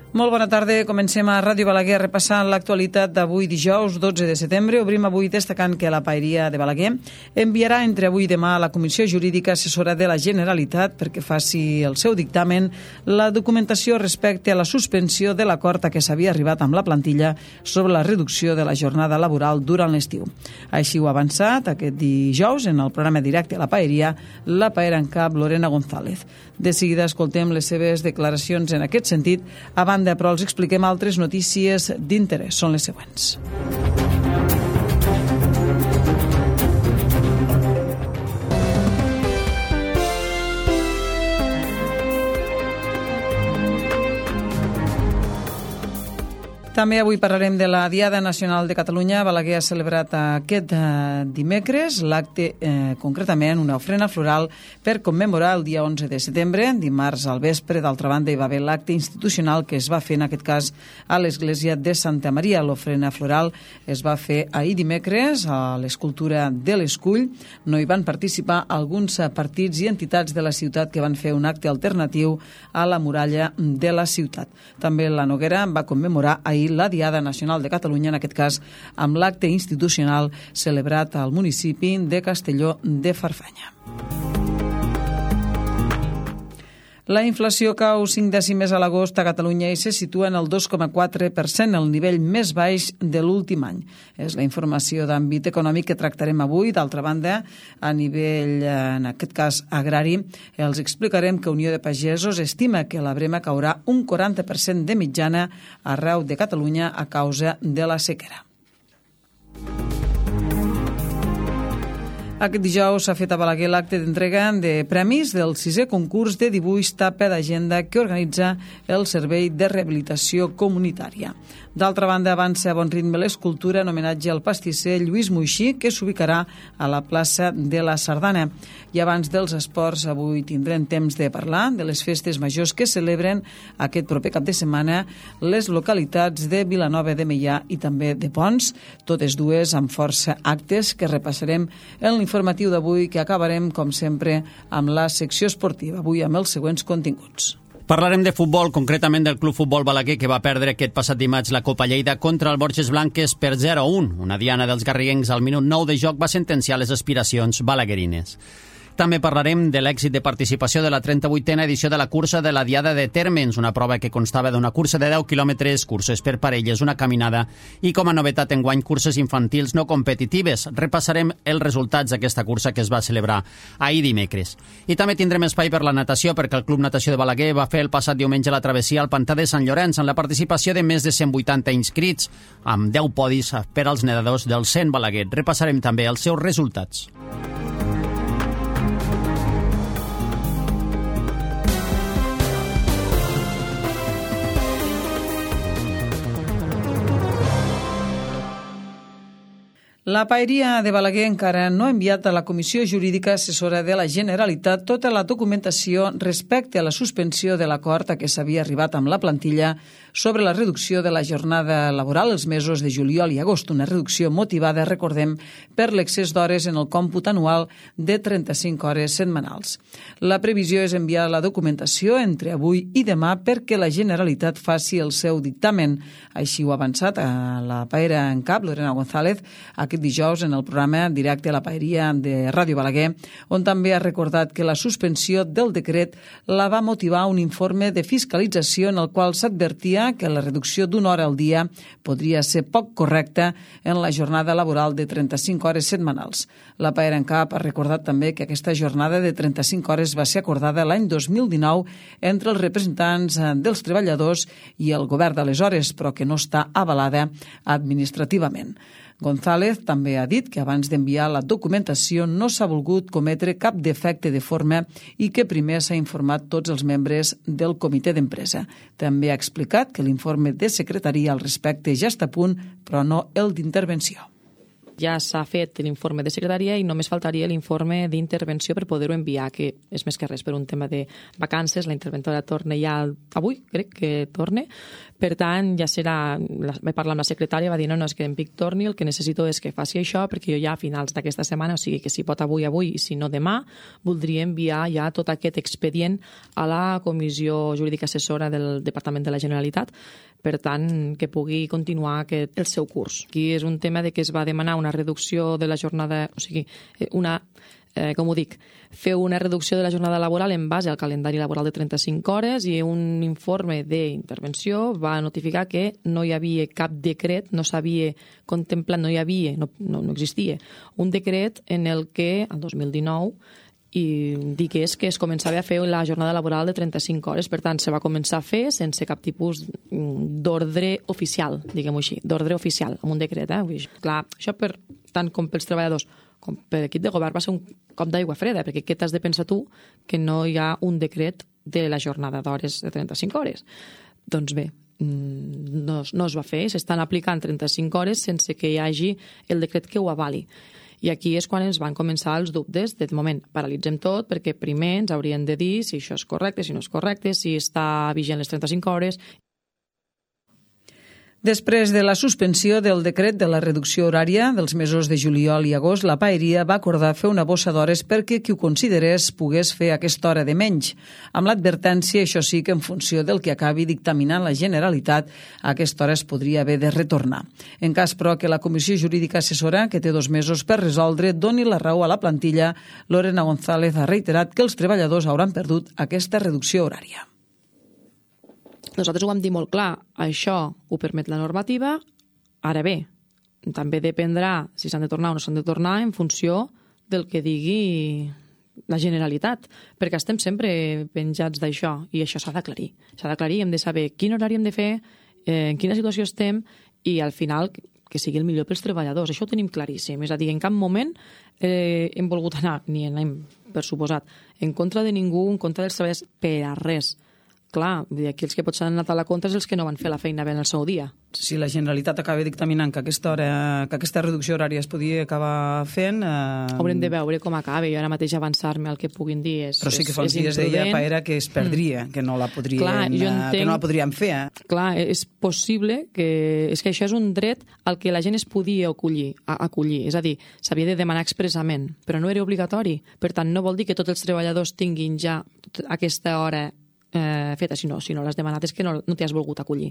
Molt bona tarda, comencem a Ràdio Balaguer repassant l'actualitat d'avui dijous 12 de setembre. Obrim avui destacant que la Paeria de Balaguer enviarà entre avui i demà a la Comissió Jurídica Assessora de la Generalitat perquè faci el seu dictamen la documentació respecte a la suspensió de l'acord a què s'havia arribat amb la plantilla sobre la reducció de la jornada laboral durant l'estiu. Així ho ha avançat aquest dijous en el programa directe a la Paeria, la paera en cap Lorena González. De seguida escoltem les seves declaracions en aquest sentit. A banda, però, els expliquem altres notícies d'interès. Són les següents. També avui parlarem de la Diada Nacional de Catalunya. Balaguer ha celebrat aquest dimecres l'acte, concretament una ofrena floral per commemorar el dia 11 de setembre. Dimarts al vespre, d'altra banda, hi va haver l'acte institucional que es va fer, en aquest cas, a l'església de Santa Maria. L'ofrena floral es va fer ahir dimecres a l'escultura de l'Escull. No hi van participar alguns partits i entitats de la ciutat que van fer un acte alternatiu a la muralla de la ciutat. També la Noguera va commemorar ahir la Diada Nacional de Catalunya, en aquest cas amb l'acte institucional celebrat al municipi de Castelló de Farfanya. La inflació cau 5 dècimes a l'agost a Catalunya i se situa en el 2,4%, el nivell més baix de l'últim any. És la informació d'àmbit econòmic que tractarem avui. D'altra banda, a nivell, en aquest cas, agrari, els explicarem que Unió de Pagesos estima que la brema caurà un 40% de mitjana arreu de Catalunya a causa de la sequera. Aquest dijous s'ha fet a Balaguer l'acte d'entrega de premis del 6è concurs de dibuix tapa d'agenda que organitza el Servei de Rehabilitació Comunitària. D'altra banda, avança a bon ritme l'escultura en homenatge al pastisser Lluís Moixí, que s'ubicarà a la plaça de la Sardana. I abans dels esports, avui tindrem temps de parlar de les festes majors que celebren aquest proper cap de setmana les localitats de Vilanova de Meià i també de Ponts, totes dues amb força actes que repassarem en l'informatiu d'avui, que acabarem, com sempre, amb la secció esportiva, avui amb els següents continguts. Parlarem de futbol, concretament del Club Futbol Balaguer, que va perdre aquest passat dimarts la Copa Lleida contra el Borges Blanques per 0-1. Una diana dels garriguencs al minut 9 de joc va sentenciar les aspiracions balaguerines. També parlarem de l'èxit de participació de la 38a edició de la cursa de la Diada de Térmens, una prova que constava d'una cursa de 10 quilòmetres, curses per parelles, una caminada i, com a novetat enguany, curses infantils no competitives. Repassarem els resultats d'aquesta cursa que es va celebrar ahir dimecres. I també tindrem espai per la natació, perquè el Club Natació de Balaguer va fer el passat diumenge la travessia al Pantà de Sant Llorenç amb la participació de més de 180 inscrits, amb 10 podis per als nedadors del Cent Balaguer. Repassarem també els seus resultats. La Paeria de Balaguer encara no ha enviat a la Comissió Jurídica Assessora de la Generalitat tota la documentació respecte a la suspensió de l'acord a què s'havia arribat amb la plantilla sobre la reducció de la jornada laboral els mesos de juliol i agost, una reducció motivada, recordem, per l'excés d'hores en el còmput anual de 35 hores setmanals. La previsió és enviar la documentació entre avui i demà perquè la Generalitat faci el seu dictamen. Així ho ha avançat a la paera en cap, Lorena González, aquest dijous en el programa directe a la Paeria de Ràdio Balaguer, on també ha recordat que la suspensió del decret la va motivar un informe de fiscalització en el qual s'advertia que la reducció d'una hora al dia podria ser poc correcta en la jornada laboral de 35 hores setmanals. La Paera en cap ha recordat també que aquesta jornada de 35 hores va ser acordada l'any 2019 entre els representants dels treballadors i el govern d'aleshores, però que no està avalada administrativament. González també ha dit que abans d'enviar la documentació no s'ha volgut cometre cap defecte de forma i que primer s'ha informat tots els membres del comitè d'empresa. També ha explicat que l'informe de secretaria al respecte ja està a punt, però no el d'intervenció. Ja s'ha fet l'informe de secretaria i només faltaria l'informe d'intervenció per poder-ho enviar, que és més que res per un tema de vacances. La interventora torna ja avui, crec que torna. Per tant, ja serà... Vaig parlar amb la secretària, va dir, no, és que en Vic torni, el que necessito és que faci això, perquè jo ja a finals d'aquesta setmana, o sigui que si pot avui, i si no demà, voldria enviar ja tot aquest expedient a la Comissió Jurídica Assessora del Departament de la Generalitat, per tant, que pugui continuar el seu curs. Aquí és un tema de que es va demanar una reducció de la jornada, o sigui, com ho dic, fer una reducció de la jornada laboral en base al calendari laboral de 35 hores i un informe d'intervenció va notificar que no hi havia cap decret, no s'havia contemplat, no existia un decret en el que, el 2019, i digués que es començava a fer la jornada laboral de 35 hores. Per tant, se va començar a fer sense cap tipus d'ordre oficial, diguem-ho així, d'ordre oficial, amb un decret. Clar, això tant com pels treballadors com per l'equip de govern va ser un cop d'aigua freda, perquè què t'has de pensar tu que no hi ha un decret de la jornada d'hores de 35 hores? Doncs bé, no es va fer, s'estan aplicant 35 hores sense que hi hagi el decret que ho avali. I aquí és quan ens van començar els dubtes. De moment, paralitzem tot, perquè primer ens haurien de dir si això és correcte, si no és correcte, si està vigent les 35 hores. Després de la suspensió del decret de la reducció horària dels mesos de juliol i agost, la Paeria va acordar fer una bossa d'hores perquè qui ho considerés pogués fer aquesta hora de menys, amb l'advertència, això sí, que en funció del que acabi dictaminant la Generalitat, aquesta hora es podria haver de retornar. En cas, però, que la Comissió Jurídica Assessora, que té 2 mesos per resoldre, doni la raó a la plantilla, Lorena González ha reiterat que els treballadors hauran perdut aquesta reducció horària. Nosaltres ho vam dir molt clar, això ho permet la normativa, ara bé, també dependrà si s'han de tornar o no s'han de tornar en funció del que digui la Generalitat, perquè estem sempre penjats d'això i això s'ha d'aclarir. S'ha d'aclarir, hem de saber quin horari hem de fer, en quina situació estem i al final que sigui el millor pels treballadors. Això ho tenim claríssim. És a dir, en cap moment hem volgut anar, ni anem, per suposat, en contra de ningú, en contra dels treballadors, per a res. Clar, aquí els que potser han anat a la contra és els que no van fer la feina bé en el seu dia. Si la Generalitat acaba dictaminant que aquesta reducció horària es podia acabar fent... Haurem de veure com acaba. Jo ara mateix avançar-me al que puguin dir és imprudent. Però sí que fa uns dies deia Paera que es perdria, que no la podríem fer. Clar, és possible que... És que això és un dret al que la gent es podia acollir. És a dir, s'havia de demanar expressament, però no era obligatori. Per tant, no vol dir que tots els treballadors tinguin ja aquesta hora feta, si no l'has demanat és que no t'hi has volgut acollir.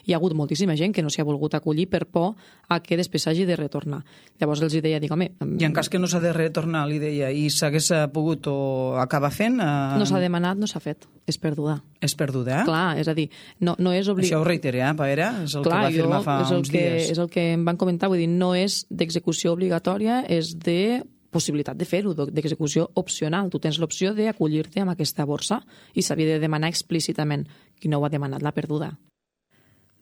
Hi ha hagut moltíssima gent que no s'hi ha volgut acollir per por a que després s'hagi de retornar. Llavors els deia, dic, home... I en cas que no s'ha de retornar, li deia, i s'hagués pogut o acabar fent... No s'ha demanat, no s'ha fet. És perduda. És perduda, Clar, és a dir, no és obligat... Això ho reiteré, Paera? És el que va afirmar fa uns dies. És el que em van comentar, vull dir, no és d'execució obligatòria, és de possibilitat de fer-ho, d'execució opcional. Tu tens l'opció d'acollir-te amb aquesta borsa i s'havia de demanar explícitament. Qui no ho ha demanat l'ha perduda.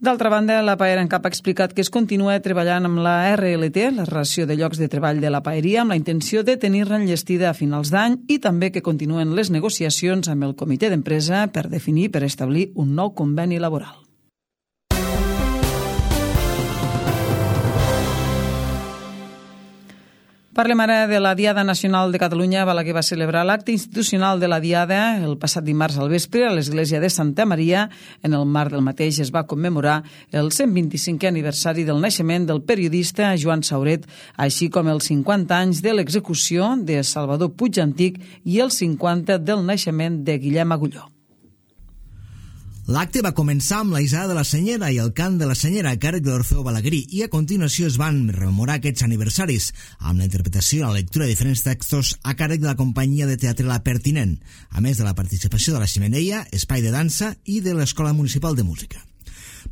D'altra banda, la Paera en Cap ha explicat que es continua treballant amb la RLT, la relació de llocs de treball de la Paeria, amb la intenció de tenir-la enllestida a finals d'any i també que continuen les negociacions amb el comitè d'empresa per definir, per establir un nou conveni laboral. Parlem ara de la Diada Nacional de Catalunya. Balaguer va celebrar l'acte institucional de la Diada el passat dimarts al vespre a l'església de Santa Maria. En el marc del mateix es va commemorar el 125è aniversari del naixement del periodista Joan Sauret, així com els 50 anys de l'execució de Salvador Puig Antic i els 50 del naixement de Guillem Agulló. L'acte va començar amb la isada de la Senyera i el cant de la Senyera a càrrec de l'Orfeó Balaguerí i a continuació es van rememorar aquests aniversaris amb la interpretació i la lectura de diferents textos a càrrec de la companyia de teatre La Pertinent, a més de la participació de la Xemeneia, espai de dansa i de l'Escola Municipal de Música.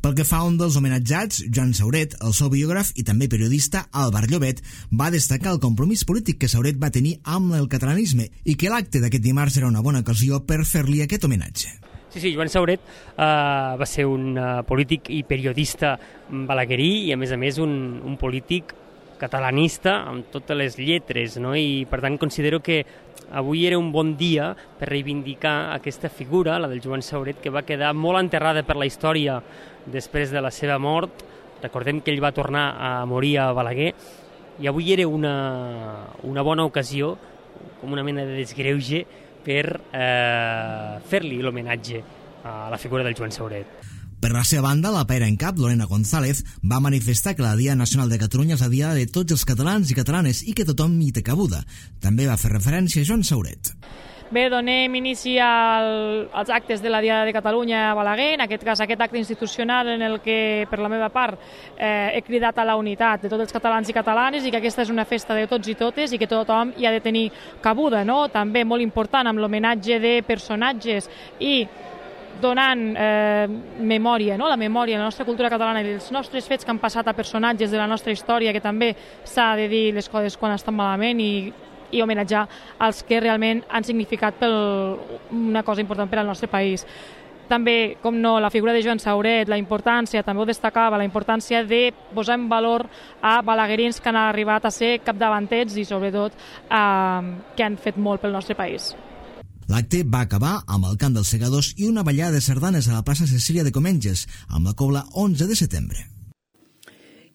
Pel que fa a un dels homenatjats, Joan Sauret, el seu biògraf i també periodista Álvar Llobet, va destacar el compromís polític que Sauret va tenir amb el catalanisme i que l'acte d'aquest dimarts era una bona ocasió per fer-li aquest homenatge. Sí, Joan Sauret va ser un polític i periodista balaguerí i a més un polític catalanista amb totes les lletres, no? I per tant considero que avui era un bon dia per reivindicar aquesta figura, la del Joan Sauret, que va quedar molt enterrada per la història després de la seva mort. Recordem que ell va tornar a morir a Balaguer I avui era una bona ocasió, com una mena de desgreuge, per fer-li l'homenatge a la figura del Joan Sauret. Per la seva banda, la paira en cap, Lorena González, va manifestar que la Diada Nacional de Catalunya és la diada de tots els catalans i catalanes i que tothom hi té cabuda. També va fer referència a Joan Sauret. Bé, donem inici als actes de la Diada de Catalunya a Balaguer, en aquest cas aquest acte institucional en el que, per la meva part, he cridat a la unitat de tots els catalans i catalanes i que aquesta és una festa de tots i totes i que tothom hi ha de tenir cabuda, no? També molt important amb l'homenatge de personatges i donant memòria, no? La memòria de la nostra cultura catalana i els nostres fets que han passat a personatges de la nostra història, que també s'ha de dir les coses quan estan malament i homenatjar els que realment han significat una cosa important per al nostre país. També, com no, la figura de Joan Sauret, la importància, també ho destacava, la importància de posar en valor a balaguerins que han arribat a ser capdavanters i, sobretot, que han fet molt pel nostre país. L'acte va acabar amb el cant dels segadors i una ballada de sardanes a la plaça Cecília de Comenges, amb la cobla 11 de setembre.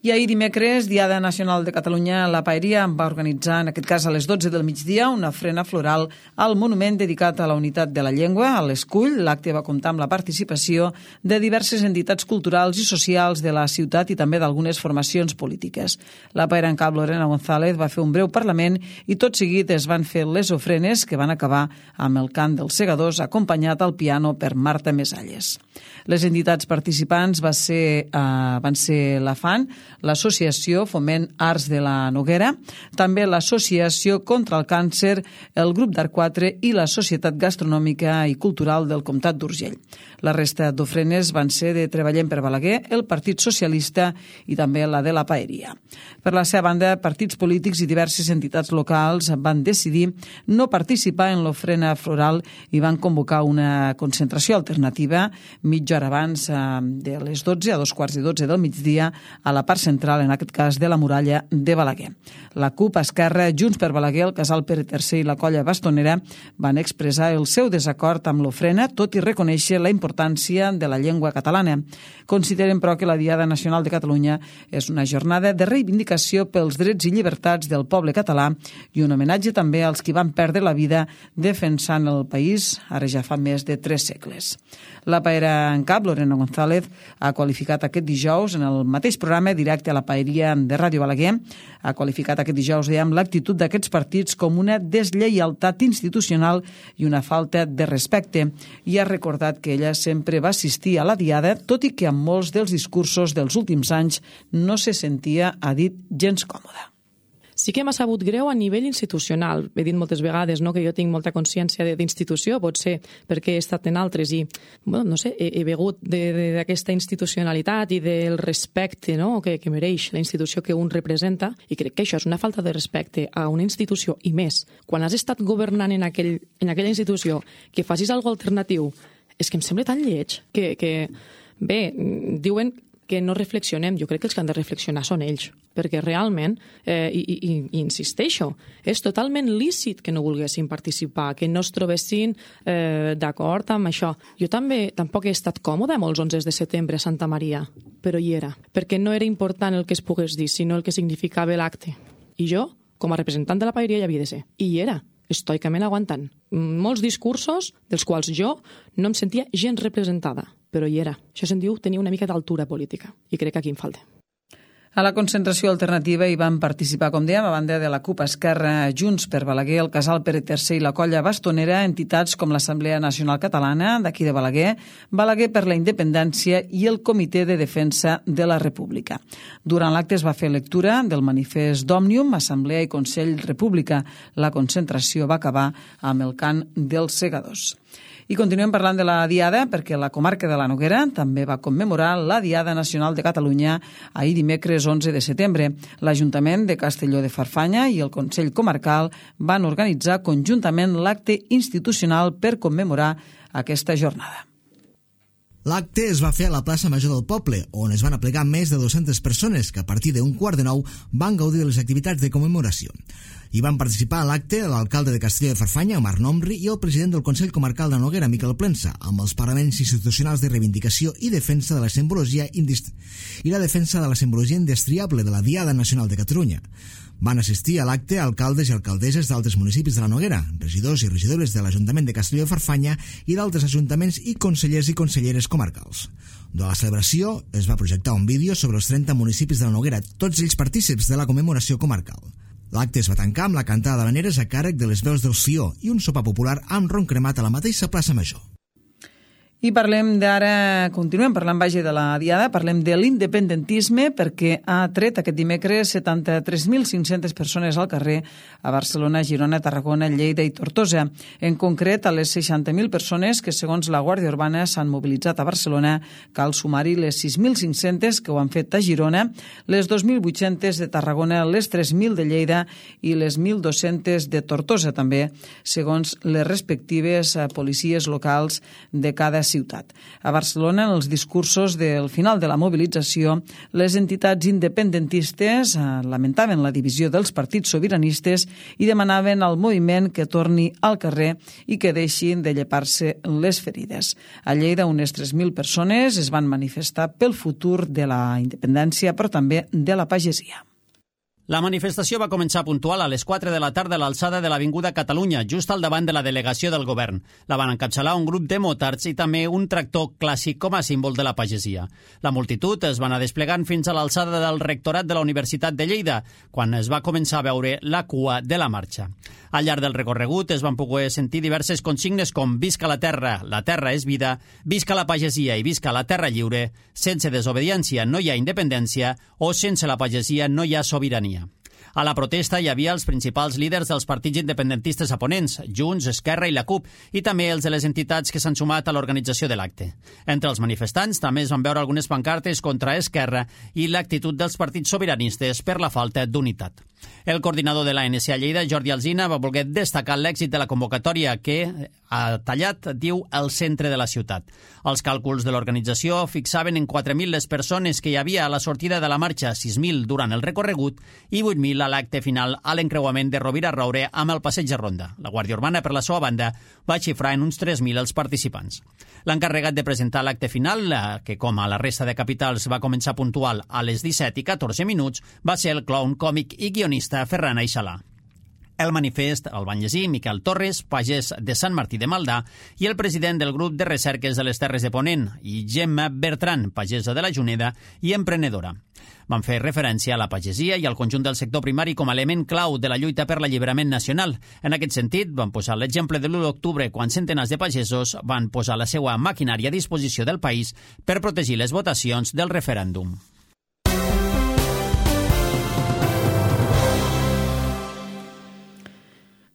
I ahir dimecres, Diada Nacional de Catalunya, la Paeria va organitzar, en aquest cas a les 12 del migdia, una ofrena floral al monument dedicat a la unitat de la llengua, a l'Escull. L'acte va comptar amb la participació de diverses entitats culturals i socials de la ciutat i també d'algunes formacions polítiques. La paera en cap, Lorena González, va fer un breu parlament i tot seguit es van fer les ofrenes que van acabar amb el cant dels segadors acompanyat al piano per Marta Mesalles. Les entitats participants van ser la FAN, l'Associació Foment Arts de la Noguera, també l'Associació contra el Càncer, el Grup d'Art 4 i la Societat Gastronòmica i Cultural del Comtat d'Urgell. La resta d'ofrenes van ser de Treballem per Balaguer, el Partit Socialista i també la de la Paeria. Per la seva banda, partits polítics i diverses entitats locals van decidir no participar en l'ofrena floral i van convocar una concentració alternativa mitja hora abans de les 12 a 2:15 del migdia a la part central, en aquest cas de la muralla de Balaguer. La CUP, Esquerra, Junts per Balaguer, el Casal Pere III i la Colla Bastonera van expressar el seu desacord amb l'ofrena, tot i reconèixer la importància de la llengua catalana. Consideren, però, que la Diada Nacional de Catalunya és una jornada de reivindicació pels drets i llibertats del poble català i un homenatge també als qui van perdre la vida defensant el país ara ja fa més de 3 segles. La paera en cap, Lorena González, ha qualificat aquest dijous en el mateix programa directe a la Paeria de Ràdio Balaguer, ha qualificat aquest dijous, dèiem, l'actitud d'aquests partits com una deslleialtat institucional i una falta de respecte i ha recordat que ella sempre va assistir a la Diada, tot i que amb molts dels discursos dels últims anys no se sentia, ha dit, gens còmoda. Sí que m'ha sabut greu a nivell institucional. He dit moltes vegades, no, que jo tinc molta consciència d'institució, potser perquè he estat en altres i, no sé, he begut d'aquesta institucionalitat i del respecte, no, que mereix la institució que un representa, i crec que això és una falta de respecte a una institució, i més, quan has estat governant en aquella institució, que facis alguna alternatiu, és que em sembla tan lleig que bé, diuen que no reflexionem. Jo crec que els que han de reflexionar són ells, perquè realment, i insisteixo, és totalment lícit que no volguessin participar, que no es trobessin d'acord amb això. Jo tampoc he estat còmode amb els 11 de setembre a Santa Maria, però hi era, perquè no era important el que es pogués dir, sinó el que significava l'acte. I jo, com a representant de la Paeria, hi havia de ser. I hi era, estoicament aguantant. Molts discursos dels quals jo no em sentia gens representada, però hi era. Això se'n diu tenir una mica d'altura política, i crec que aquí em falta. A la concentració alternativa hi van participar, com dèiem, a banda de la CUP, Esquerra, Junts per Balaguer, el Casal Pere III i la Colla Bastonera, entitats com l'Assemblea Nacional Catalana, d'aquí de Balaguer, Balaguer per la Independència i el Comitè de Defensa de la República. Durant l'acte es va fer lectura del manifest d'Òmnium, Assemblea i Consell República. La concentració va acabar amb el cant dels segadors. I continuem parlant de la Diada perquè la comarca de la Noguera també va commemorar la Diada Nacional de Catalunya ahir dimecres 11 de setembre. L'Ajuntament de Castelló de Farfanya i el Consell Comarcal van organitzar conjuntament l'acte institucional per commemorar aquesta jornada. L'acte es va fer a la plaça Major del poble, on es van aplegar més de 200 persones que a partir d'un 8:45 van gaudir de les activitats de commemoració. Hi van participar a l'acte l'alcalde de Castelló de Farfanya, Omar Nomri, i el president del Consell Comarcal de Noguera, Miquel Plensa, amb els paraments institucionals de reivindicació i defensa de la simbologia indestriable de la Diada Nacional de Catalunya. Van assistir a l'acte alcaldes i alcaldesses d'altres municipis de la Noguera, regidors i regidores de l'Ajuntament de Castelló de Farfanya i d'altres ajuntaments i consellers i conselleres comarcals. Durant la celebració es va projectar un vídeo sobre els 30 municipis de la Noguera, tots ells partícips de la commemoració comarcal. L'acte es va tancar amb la cantada d'habaneres a càrrec de les veus del Sió i un sopar popular amb ron cremat a la mateixa plaça Major. I continuem parlant de la Diada, parlem de l'independentisme perquè ha tret aquest dimecres 73.500 persones al carrer a Barcelona, Girona, Tarragona, Lleida i Tortosa. En concret, a les 60.000 persones que, segons la Guàrdia Urbana, s'han mobilitzat a Barcelona, cal sumar-hi les 6.500 que ho han fet a Girona, les 2.800 de Tarragona, les 3.000 de Lleida i les 1.200 de Tortosa també, segons les respectives policies locals de cada ciutat. A Barcelona, en els discursos del final de la mobilització, les entitats independentistes lamentaven la divisió dels partits sobiranistes i demanaven al moviment que torni al carrer i que deixin de llepar-se les ferides. A Lleida, unes 3.000 persones es van manifestar pel futur de la independència, però també de la pagesia. La manifestació va començar puntual a les 4 de la tarda a l'alçada de l'Avinguda Catalunya, just al davant de la delegació del govern. La van encapçalar un grup de motards i també un tractor clàssic com a símbol de la pagesia. La multitud es va anar desplegant fins a l'alçada del rectorat de la Universitat de Lleida, quan es va començar a veure la cua de la marxa. Al llarg del recorregut es van poder sentir diverses consignes com «Visca la terra és vida», «Visca la pagesia i visca la terra lliure», «Sense desobediència no hi ha independència» o «Sense la pagesia no hi ha sobirania». A la protesta hi havia els principals líders dels partits independentistes aponents, Junts, Esquerra i la CUP, i també els de les entitats que s'han sumat a l'organització de l'acte. Entre els manifestants també es van veure algunes pancartes contra Esquerra i l'actitud dels partits sobiranistes per la falta d'unitat. El coordinador de l'ANC a Lleida, Jordi Alsina, va voler destacar l'èxit de la convocatòria que ha tallat, diu, el centre de la ciutat. Els càlculs de l'organització fixaven en 4.000 les persones que hi havia a la sortida de la marxa, 6.000 durant el recorregut i 8.000 a l'acte final a l'encreuament de Rovira a Roure amb el passeig de Ronda. La Guàrdia Urbana, per la seva banda, va xifrar en uns 3.000 els participants. L'encarregat de presentar l'acte final, que com a la resta de capitals va començar puntual a les 17 i 14 minuts, va ser el clown còmic i guionista Ferran Aixalà. El manifest el van llegir Miquel Torres, pagès de Sant Martí de Maldà, i el president del grup de recerques de les Terres de Ponent, i Gemma Bertran, pagesa de la Juneda i emprenedora. Van fer referència a la pagesia i al conjunt del sector primari com a element clau de la lluita per l'alliberament nacional. En aquest sentit, van posar l'exemple de l'1 d'octubre, quan centenars de pagesos van posar la seva maquinària a disposició del país per protegir les votacions del referèndum.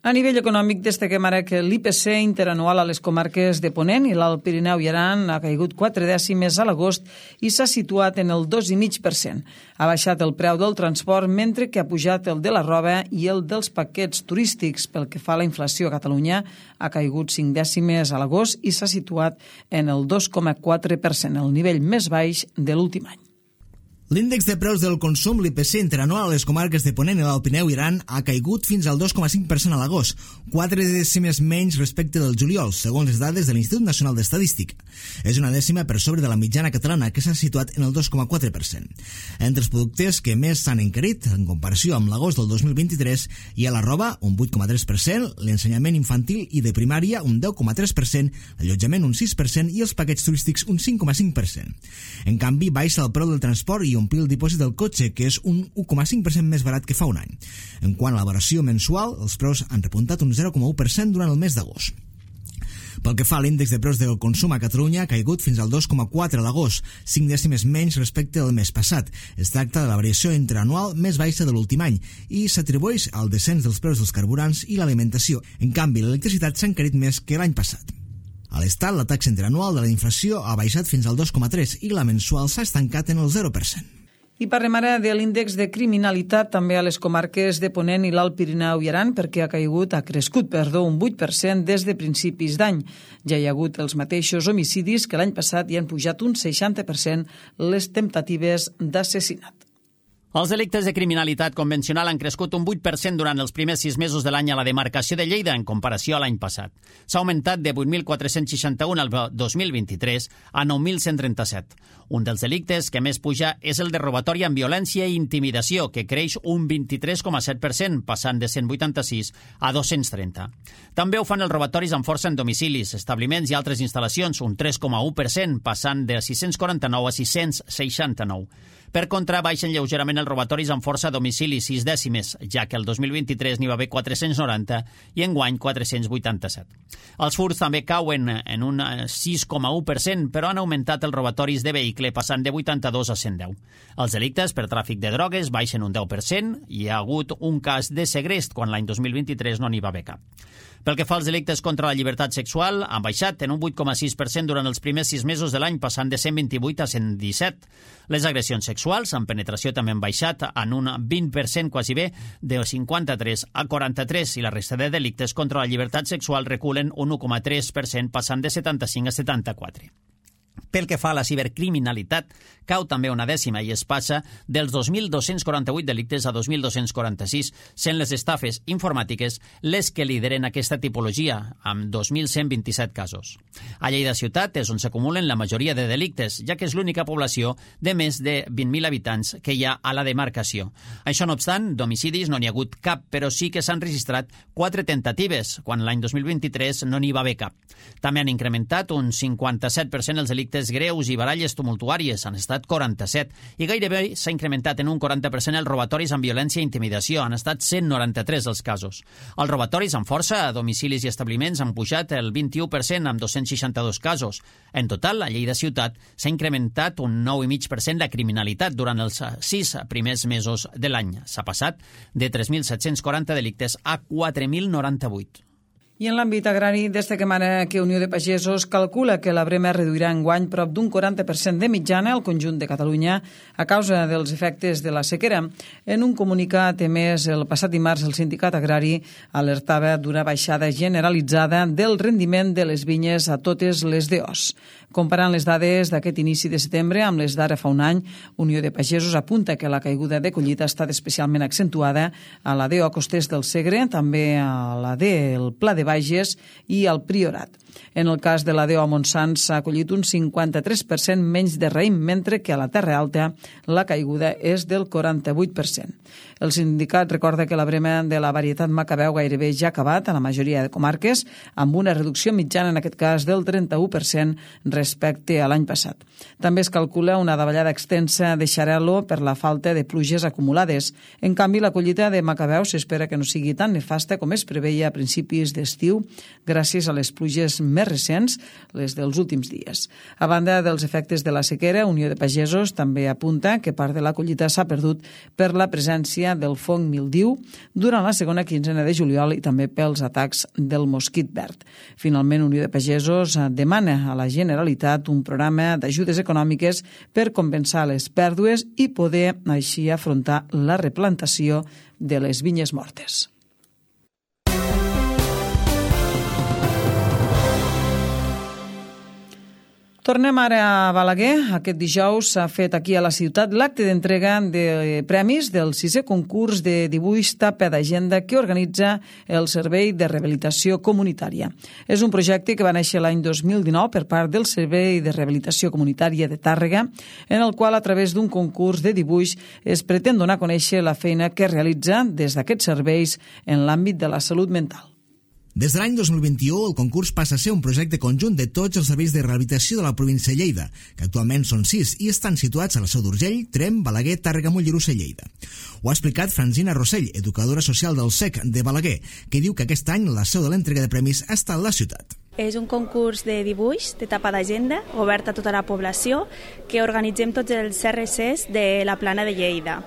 A nivell econòmic, destaquem ara que l'IPC interanual a les comarques de Ponent i l'Alt Pirineu i Aran ha caigut 4 dècimes a l'agost i s'ha situat en el 2,5%. Ha baixat el preu del transport, mentre que ha pujat el de la roba i el dels paquets turístics. Pel que fa a la inflació a Catalunya, ha caigut 5 dècimes a l'agost i s'ha situat en el 2,4%, el nivell més baix de l'últim any. L'índex de preus del consum, l'IPC interanual a les comarques de Ponent i l'Alt Pirineu i Aran, ha caigut fins al 2,5% a l'agost, 4 dècimes menys respecte del juliol, segons les dades de l'Institut Nacional d'Estadística. És una dècima per sobre de la mitjana catalana, que s'ha situat en el 2,4%. Entre els productes que més s'han encarit, en comparació amb l'agost del 2023, hi ha la roba, un 8,3%, l'ensenyament infantil i de primària, un 10,3%, l'allotjament, un 6%, i els paquets turístics, un 5,5%. En canvi, baixa el preu del transport i omplir el dipòsit del cotxe, que és un 1,5% més barat que fa un any. En quant a la variació mensual, els preus han repuntat un 0,1% durant el mes d'agost. Pel que fa a l'índex de preus del consum a Catalunya, ha caigut fins al 2,4 a l'agost, 5 dècimes menys respecte del mes passat. Es tracta de la variació interanual més baixa de l'últim any i s'atribueix al descens dels preus dels carburants i l'alimentació. En canvi, l'electricitat s'ha encarit més que l'any passat. A l'Estat, la taxa interanual de la inflació ha baixat fins al 2,3% i la mensual s'ha estancat en el 0%. I parlem ara de l'índex de criminalitat també a les comarques de Ponent i l'Alt Pirineu i Aran, perquè ha crescut un 8% des de principis d'any. Ja hi ha hagut els mateixos homicidis que l'any passat i han pujat un 60% les temptatives d'assassinat. Els delictes de criminalitat convencional han crescut un 8% durant els primers 6 mesos de l'any a la demarcació de Lleida en comparació a l'any passat. S'ha augmentat de 8.461 al 2023 a 9.137. Un dels delictes que més puja és el de robatori amb violència i intimidació, que creix un 23,7%, passant de 186 a 230. També ho fan els robatoris amb força en domicilis, establiments i altres instal·lacions, un 3,1%, passant de 649 a 669. Per contra, baixen lleugerament els robatoris amb força a domicili, 6 dècimes, ja que el 2023 n'hi va haver 490 i enguany 487. Els furts també cauen en un 6,1%, però han augmentat els robatoris de vehicle, passant de 82 a 110. Els delictes per tràfic de drogues baixen un 10% i hi ha hagut un cas de segrest, quan l'any 2023 no n'hi va haver cap. Pel que fa als delictes contra la llibertat sexual, han baixat en un 8,6% durant els primers 6 mesos de l'any, passant de 128 a 117. Les agressions sexuals amb penetració també han baixat en un 20%, quasi bé, de 53 a 43, i la resta de delictes contra la llibertat sexual reculen un 1,3%, passant de 75 a 74. Pel que fa a la cibercriminalitat, cau també una dècima i es passa dels 2.248 delictes a 2.246, sent les estafes informàtiques les que lideren aquesta tipologia, amb 2.127 casos. A Lleida ciutat és on s'acumulen la majoria de delictes, ja que és l'única població de més de 20.000 habitants que hi ha a la demarcació. Això no obstant, d'homicidis no n'hi ha hagut cap, però sí que s'han registrat 4 tentatives, quan l'any 2023 no n'hi va haver cap. També han incrementat un 57% els delictes greus i baralles tumultuàries, han estat 47, i gairebé s'ha incrementat en un 40% els robatoris amb violència i intimidació, han estat 193 els casos. Els robatoris amb força a domicilis i establiments han pujat el 21% amb 262 casos. En total, a Lleida ciutat s'ha incrementat un 9,5% la criminalitat durant els 6 primers mesos de l'any. S'ha passat de 3.740 delictes a 4.098. I en l'àmbit agrari, destaquem ara que Unió de Pagesos calcula que la brema reduirà enguany prop d'un 40% de mitjana al conjunt de Catalunya a causa dels efectes de la sequera. En un comunicat emès el passat dimarts, el sindicat agrari alertava d'una baixada generalitzada del rendiment de les vinyes a totes les DOs. Comparant les dades d'aquest inici de setembre amb les d'ara fa un any, Unió de Pagesos apunta que la caiguda de collita ha estat especialment accentuada a la DO Costers del Segre, també a la del Pla de Bages i al Priorat. En el cas de la DO Montsant s'ha collit un 53% menys de raïm, mentre que a la Terra Alta la caiguda és del 48%. El sindicat recorda que la brema de la varietat Macabeu gairebé ja ha acabat a la majoria de comarques, amb una reducció mitjana en aquest cas del 31% respecte a l'any passat. També es calcula una davallada extensa de xarel·lo per la falta de pluges acumulades. En canvi, la collita de Macabeu s'espera que no sigui tan nefasta com es preveia a principis d'estiu, gràcies a les pluges més recents, les dels últims dies. A banda dels efectes de la sequera, Unió de Pagesos també apunta que part de la collita s'ha perdut per la presència del fong mildiu durant la segona quinzena de juliol i també pels atacs del mosquit verd. Finalment, Unió de Pagesos demana a la Generalitat un programa d'ajudes econòmiques per compensar les pèrdues i poder així afrontar la replantació de les vinyes mortes. Tornem ara a Balaguer. Aquest dijous s'ha fet aquí a la ciutat l'acte d'entrega de premis del 6è concurs de dibuix Tapa d'Agenda que organitza el Servei de Rehabilitació Comunitària. És un projecte que va néixer l'any 2019 per part del Servei de Rehabilitació Comunitària de Tàrrega, en el qual, a través d'un concurs de dibuix, es pretén donar a conèixer la feina que realitza des d'aquests serveis en l'àmbit de la salut mental. Des de l'any 2021, el concurs passa a ser un projecte conjunt de tots els serveis de rehabilitació de la província de Lleida, que actualment són 6 i estan situats a la Seu d'Urgell, Tremp, Balaguer, Tàrrega, Mollerussa i Lleida. Ho ha explicat Francina Rossell, educadora social del SEC de Balaguer, que diu que aquest any la seu de l'entrega de premis ha estat la ciutat. És un concurs de dibuix de tapa d'agenda obert a tota la població que organitzem tots els CRCs de la Plana de Lleida.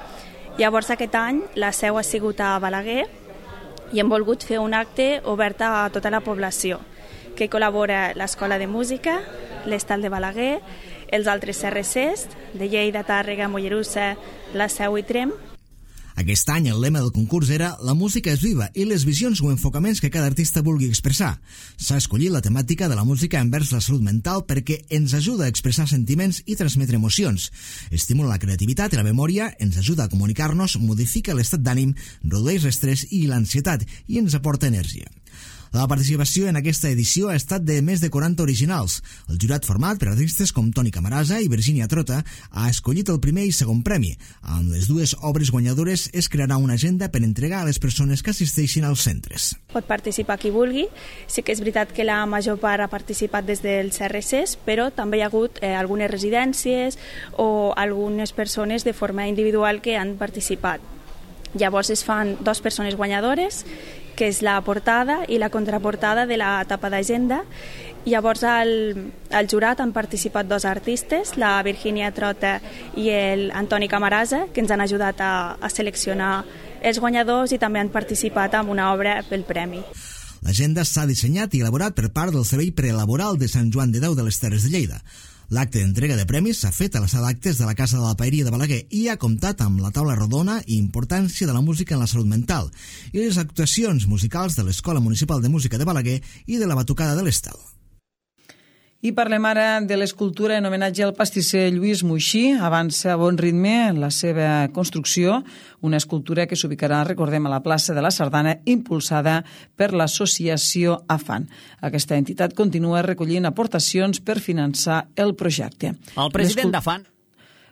Llavors aquest any la seu ha sigut a Balaguer i hem volgut fer un acte obert a tota la població, que col·labora l'Escola de Música, l'Estal de Balaguer, els altres CRCs de Lleida, Tàrrega, Mollerussa, la Seu i Tremp. Aquest any el lema del concurs era «La música és viva» i les visions o enfocaments que cada artista vulgui expressar. S'ha escollit la temàtica de la música envers la salut mental perquè ens ajuda a expressar sentiments i transmetre emocions. Estimula la creativitat i la memòria, ens ajuda a comunicar-nos, modifica l'estat d'ànim, redueix l'estrès i l'ansietat i ens aporta energia. La participació en aquesta edició ha estat de més de 40 originals. El jurat format per artistes com Toni Camarasa i Virginia Trota ha escollit el primer i segon premi. Amb les dues obres guanyadores es crearà una agenda per entregar a les persones que assisteixin als centres. Pot participar qui vulgui. Sí que és veritat que la major part ha participat des dels CRCs, però també hi ha hagut algunes residències o algunes persones de forma individual que han participat. Llavors es fan 2 persones guanyadores, que és la portada i la contraportada de la tapa d'agenda. Llavors al jurat han participat 2 artistes, la Virginia Trota i l'Antoni Camarasa, que ens han ajudat a seleccionar els guanyadors i també han participat en una obra pel premi. L'agenda s'ha dissenyat i elaborat per part del Servei Prelaboral de Sant Joan de Déu de les Terres de Lleida. L'acte d'entrega de premis s'ha fet a la sala d'actes de la Casa de la Paeria de Balaguer i ha comptat amb la taula rodona i importància de la música en la salut mental i les actuacions musicals de l'Escola Municipal de Música de Balaguer i de la Batucada de l'Estel. I parlem ara de l'escultura en homenatge al pastisser Lluís Moixí. Avança a bon ritme la seva construcció, una escultura que s'ubicarà, recordem, a la plaça de la Sardana, impulsada per l'associació AFAN. Aquesta entitat continua recollint aportacions per finançar el projecte. El president d'AFAN...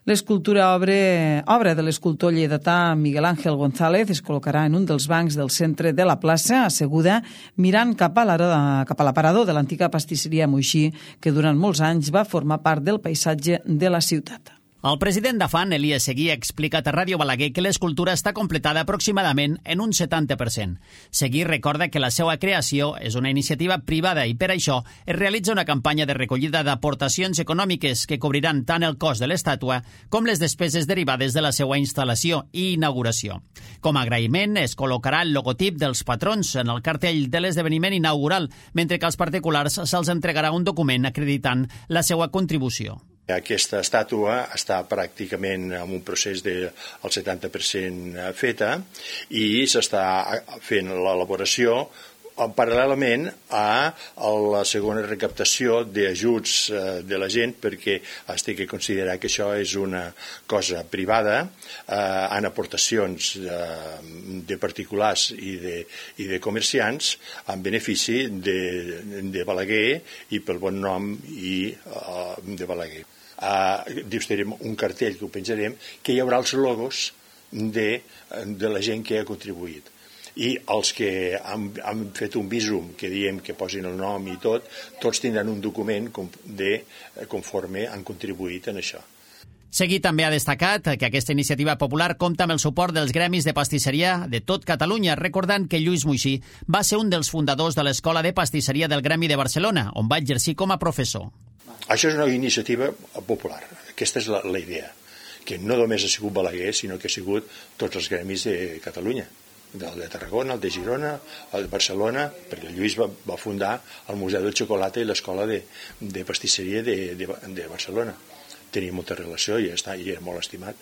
L'escultura obra de l'escultor lleidatà Miguel Ángel González es col·locarà en un dels bancs del centre de la plaça, asseguda, mirant cap a l'aparador de l'antiga pastisseria Moixí, que durant molts anys va formar part del paisatge de la ciutat. El president d'AFAN, Elias Seguí, ha explicat a Ràdio Balaguer que l'escultura està completada aproximadament en un 70%. Seguí recorda que la seva creació és una iniciativa privada i per això es realitza una campanya de recollida d'aportacions econòmiques que cobriran tant el cost de l'estàtua com les despeses derivades de la seva instal·lació i inauguració. Com a agraïment, es col·locarà el logotip dels patrons en el cartell de l'esdeveniment inaugural, mentre que als particulars se'ls entregarà un document acreditant la seva contribució. Aquesta estàtua està pràcticament en un procés del 70% feta i s'està fent l'elaboració paral·lelament a la segona recaptació d'ajuts de la gent, perquè es té que considerar que això és una cosa privada, en aportacions de particulars i de comerciants en benefici de Balaguer i pel bon nom de Balaguer. Diustarem un cartell que ho penjarem, que hi haurà els logos de la gent que ha contribuït. I els que han fet un visum que diem que posin el nom i tot, tots tindran un document conforme han contribuït en això. Seguí també ha destacat que aquesta iniciativa popular compta amb el suport dels gremis de pastisseria de tot Catalunya, recordant que Lluís Moixí va ser un dels fundadors de l'Escola de Pastisseria del Gremi de Barcelona, on va exercir com a professor. Això és una iniciativa popular, aquesta és la idea, que no només ha sigut Balaguer, sinó que ha sigut tots els gremis de Catalunya, el de Tarragona, el de Girona, el de Barcelona, perquè el Lluís va fundar el Museu del Xocolata i l'Escola de Pastisseria de Barcelona. Tenia molta relació i era molt estimat,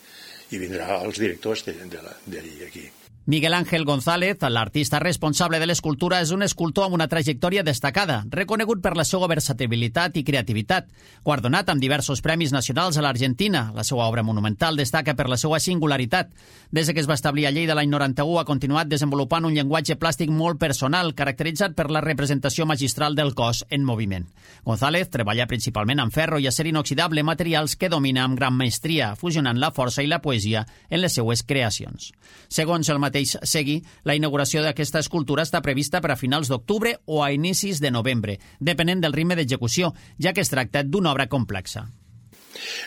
i vindrà els directors d'aquí. Miguel Ángel González, l'artista responsable de l'escultura, és un escultor amb una trajectòria destacada, reconegut per la seva versatilitat i creativitat. Guardonat amb diversos premis nacionals a l'Argentina, la seva obra monumental destaca per la seva singularitat. Des que es va establir a Lleida l'any 91 ha continuat desenvolupant un llenguatge plàstic molt personal, caracteritzat per la representació magistral del cos en moviment. González treballa principalment amb ferro i acer inoxidable, materials que domina amb gran maestria, fusionant la força i la poesia en les seues creacions. Segons el mateix Seguí, la inauguració d'aquesta escultura està prevista per a finals d'octubre o a inicis de novembre, depenent del ritme d'execució, ja que es tracta d'una obra complexa.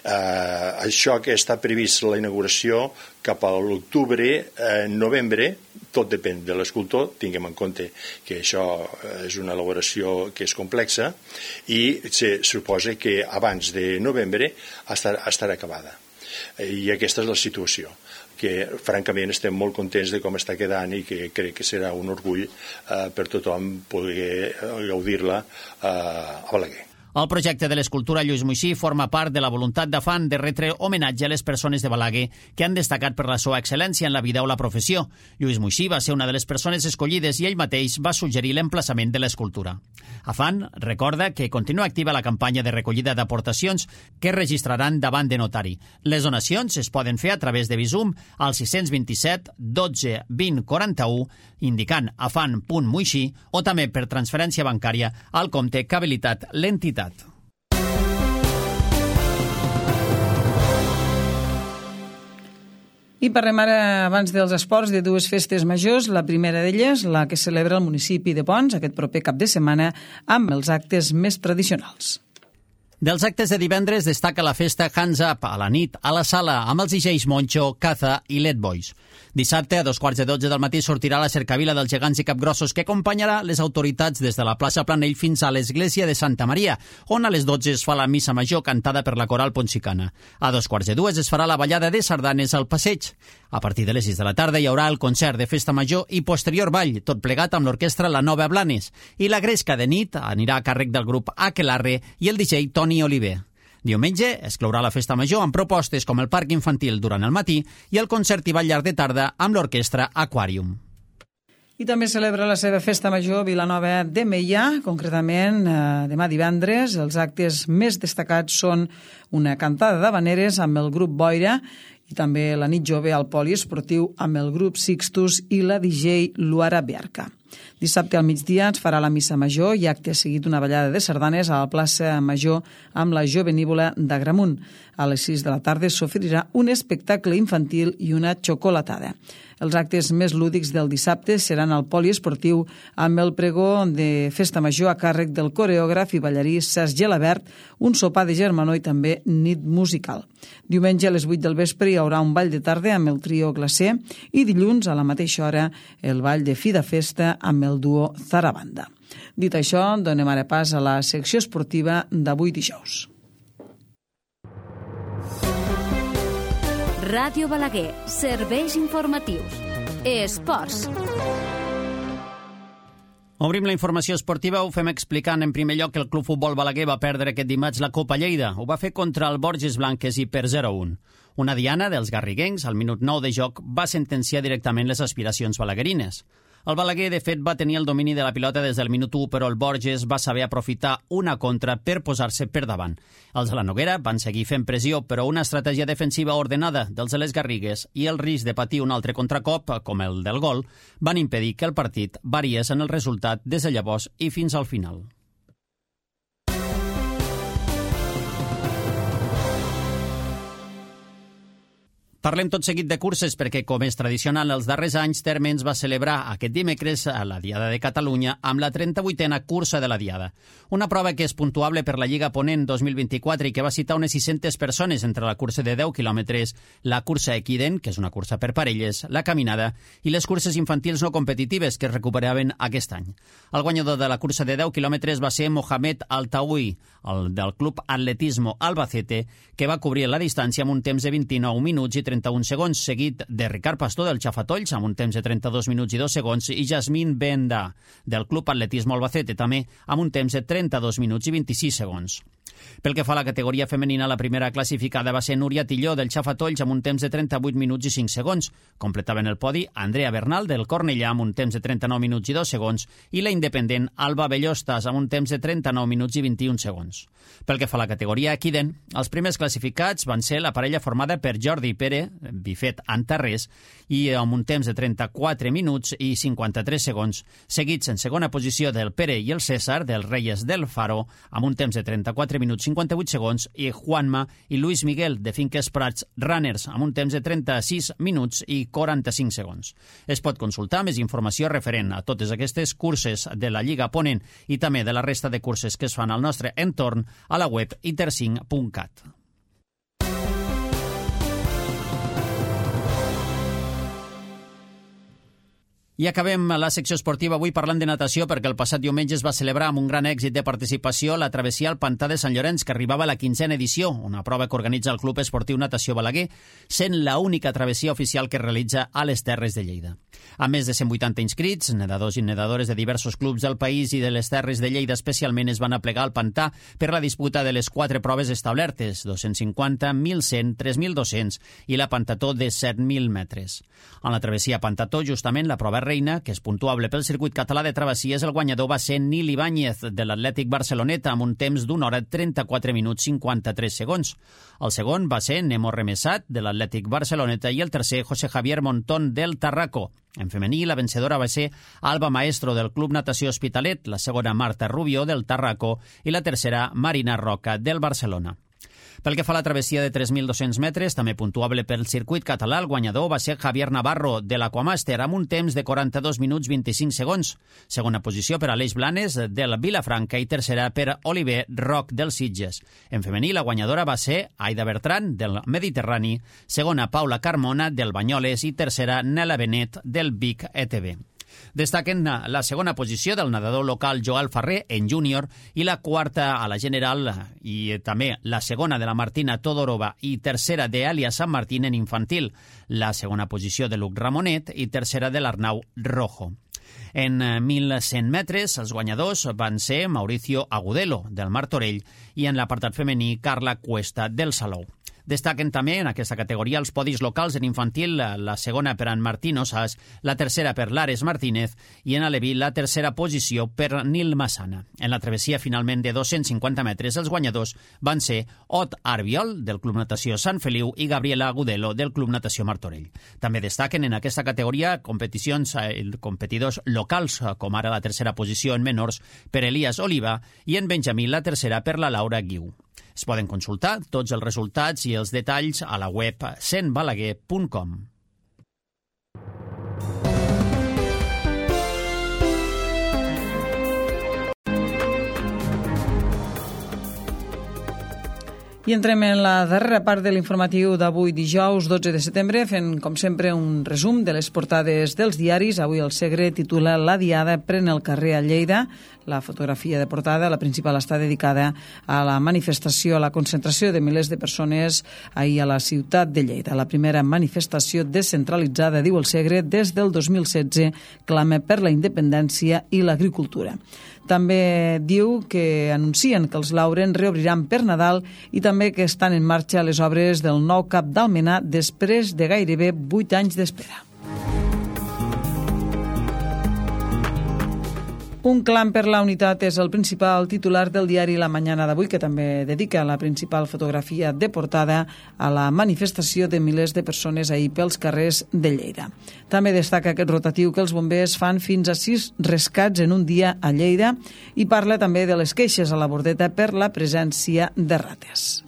Això que està previst la inauguració cap a l'octubre, novembre, tot depèn de l'escultor, tinguem en compte que això és una elaboració que és complexa i se suposa que abans de novembre estarà acabada. I aquesta és la situació, que francament estem molt contents de com està quedant i que crec que serà un orgull per tothom poder gaudir-la a Balaguer. El projecte de l'escultura Lluís Moixí forma part de la voluntat d'Afan de retre homenatge a les persones de Balaguer que han destacat per la seva excel·lència en la vida o la professió. Lluís Moixí va ser una de les persones escollides i ell mateix va suggerir l'emplaçament de l'escultura. Afan recorda que continua activa la campanya de recollida d'aportacions que es registraran davant de notari. Les donacions es poden fer a través de Bizum al 627 12 20 41 indicant afan.moixí o també per transferència bancària al compte que ha habilitat l'entitat. I parlem ara, abans dels esports, de dues festes majors. La primera d'elles, la que celebra el municipi de Ponts aquest proper cap de setmana, amb els actes més tradicionals. Dels actes de divendres destaca la festa Hands Up a la nit a la sala amb els DJs Moncho, Caza i Let Boys. Dissabte, a 2:15 del matí, sortirà la cercavila dels gegants i capgrossos que acompanyarà les autoritats des de la plaça Planell fins a l'església de Santa Maria, on a les 12 es fa la missa major cantada per la coral Ponsicana. A 2:15 es farà la ballada de sardanes al passeig. A partir de les 6 de la tarda hi haurà el concert de festa major i posterior ball, tot plegat amb l'orquestra La Nova Blanes. I la gresca de nit anirà a càrrec del grup Aquelarre i el DJ Toni Oliver. Diumenge es clourà la festa major amb propostes com el parc infantil durant el matí i el concert i ball llarg de tarda amb l'orquestra Aquarium. I també celebra la seva festa major Vilanova de Meià, concretament demà divendres. Els actes més destacats són una cantada d'habaneres amb el grup Boira i també la nit jove al poliesportiu amb el grup Sixtus i la DJ Luara Biarca. Dissabte al migdia es farà la missa major i acte seguit una ballada de sardanes a la plaça Major amb la Jovenívola d'Agramunt. A les 6 de la tarda s'oferirà un espectacle infantil i una xocolatada. Els actes més lúdics del dissabte seran al poliesportiu amb el pregó de festa major a càrrec del coreògraf i ballarí Cesc Gelabert, un sopar de germanor i també nit musical. Diumenge a les 8 del vespre hi haurà un ball de tarda amb el trio Glacé i dilluns a la mateixa hora el ball de fi de festa amb el duo Zarabanda. Dit això, donem ara pas a la secció esportiva d'avui dijous. Ràdio Balaguer, serveis informatius. Esports. Obrim la informació esportiva, ho fem explicant en primer lloc que el Club Futbol Balaguer va perdre aquest dimarts la Copa Lleida. Ho va fer contra el Borges Blanques i per 0-1. Una diana dels garriguencs, al minut 9 de joc, va sentenciar directament les aspiracions balaguerines. El Balaguer, de fet, va tenir el domini de la pilota des del minut 1, però el Borges va saber aprofitar una contra per posar-se per davant. Els de la Noguera van seguir fent pressió, però una estratègia defensiva ordenada dels de les Garrigues i el risc de patir un altre contracop, com el del gol, van impedir que el partit variés en el resultat des de llavors i fins al final. Parlem tot seguit de curses perquè, com és tradicional els darrers anys, Térmens va celebrar aquest dimecres a la Diada de Catalunya amb la 38a cursa de la Diada. Una prova que és puntuable per la Lliga Ponent 2024 i que va citar unes 600 persones entre la cursa de 10 quilòmetres, la cursa Equiden, que és una cursa per parelles, la caminada i les curses infantils no competitives que es recuperaven aquest any. El guanyador de la cursa de 10 quilòmetres va ser Mohamed Altaoui, el del Club Atletismo Albacete, que va cobrir la distància amb un temps de 29 minuts i 31 segons, seguit de Ricard Pastor del Xafatolls amb un temps de 32 minuts i 2 segons i Jasmine Benda del Club Atletismo Albacete també amb un temps de 32 minuts i 26 segons. Pel que fa a la categoria femenina, la primera classificada va ser Núria Tilló del Xafatolls amb un temps de 38 minuts i 5 segons. Completaven el podi Andrea Bernal del Cornellà amb un temps de 39 minuts i 2 segons i la independent Alba Bellostas amb un temps de 39 minuts i 21 segons. Pel que fa a la categoria Equiden, els primers classificats van ser la parella formada per Jordi Pere, Bifet Antarrés, i amb un temps de 34 minuts i 53 segons, seguits en segona posició del Pere i el César del Reyes del Faro amb un temps de 34 minuts 58 segons i Juanma i Luis Miguel de Finques Prats Runners amb un temps de 36 minuts i 45 segons. Es pot consultar més informació referent a totes aquestes curses de la Lliga Ponent i també de la resta de curses que es fan al nostre entorn a la web intercinc.cat. I acabem la secció esportiva avui parlant de natació perquè el passat diumenge es va celebrar amb un gran èxit de participació la travessia al Pantà de Sant Llorenç, que arribava a la 15a edició, una prova que organitza el Club Esportiu Natació Balaguer, sent l'única travessia oficial que realitza a les Terres de Lleida. A més de 180 inscrits, nedadors i nedadores de diversos clubs del país i de les Terres de Lleida especialment es van aplegar al Pantà per la disputa de les 4 proves establertes, 250, 1.100, 3.200 i la Pantató de 7.000 metres. En la travessia Pantató, justament, la prova reina, que és puntuable pel circuit català de travessies, el guanyador va ser Nil Ibáñez, de l'Atlètic Barceloneta, amb un temps d'1 hora 34 minuts 53 segons. El segon va ser Nemo Remesat, de l'Atlètic Barceloneta, i el tercer, José Javier Montón, del Tarraco. En femení, la vencedora va ser Alba Maestro, del Club Natació Hospitalet, la segona Marta Rubio, del Tarraco, i la tercera Marina Roca, del Barcelona. Pel que fa a la travessia de 3.200 metres, també puntuable pel circuit català, el guanyador va ser Javier Navarro, de l'Aquamàster, amb un temps de 42 minuts 25 segons. Segona posició per Aleix Blanes, del Vilafranca, i tercera per Oliver Roc, del Sitges. En femení, la guanyadora va ser Aida Bertran, del Mediterrani, segona Paula Carmona, del Banyoles, i tercera Nela Benet, del Vic ETB. Destaquen la segona posició del nedador local Joel Ferrer en júnior i la quarta a la general i també la segona de la Martina Todorova i tercera d'Elia San Martín en infantil, la segona posició de Luc Ramonet i tercera de l'Arnau Rojo. En 1.100 metres, els guanyadors van ser Mauricio Agudelo, del Martorell, i en l'apartat femení Carla Cuesta, del Salou. Destaquen també en aquesta categoria els podis locals en infantil, la segona per en Martín Osàs, la tercera per l'Ares Martínez i en aleví la tercera posició per Nil Massana. En la travessia finalment de 250 metres, els guanyadors van ser Ot Arbiol, del Club Natació Sant Feliu, i Gabriela Agudelo, del Club Natació Martorell. També destaquen en aquesta categoria competidors locals, com ara la tercera posició en menors per Elias Oliva i en Benjamí la tercera per la Laura Guiu. Es poden consultar tots els resultats i els detalls a la web centbalaguer.com. I entrem en la darrera part de l'informatiu d'avui dijous 12 de setembre, fent com sempre un resum de les portades dels diaris. Avui el Segre titula La Diada pren el carrer a Lleida. La fotografia de portada, la principal, està dedicada a la manifestació, a la concentració de milers de persones ahir a la ciutat de Lleida. La primera manifestació descentralitzada, diu el Segre, des del 2016, clama per la independència i l'agricultura. També diu que anuncien que els Lauren reobriran per Nadal i també que estan en marxa les obres del nou cap d'Almenar després de gairebé 8 anys d'espera. Un clam per la unitat és el principal titular del diari La Mañana d'avui, que també dedica la principal fotografia de portada a la manifestació de milers de persones ahir pels carrers de Lleida. També destaca aquest rotatiu que els bombers fan fins a 6 rescats en un dia a Lleida i parla també de les queixes a la Bordeta per la presència de rates.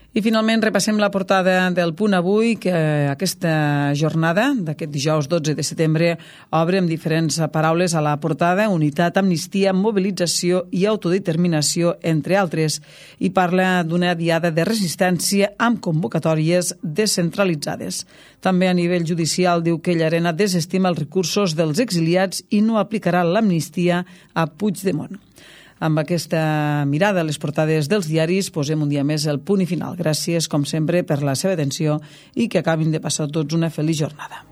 I finalment repassem la portada del Punt Avui, que aquesta jornada d'aquest dijous 12 de setembre obre amb diferents paraules a la portada: unitat, amnistia, mobilització i autodeterminació, entre altres, i parla d'una diada de resistència amb convocatòries descentralitzades. També a nivell judicial diu que Llarena desestima els recursos dels exiliats i no aplicarà l'amnistia a Puigdemont. Amb aquesta mirada a les portades dels diaris posem un dia més el punt i final. Gràcies, com sempre, per la seva atenció i que acabin de passar tots una feliç jornada.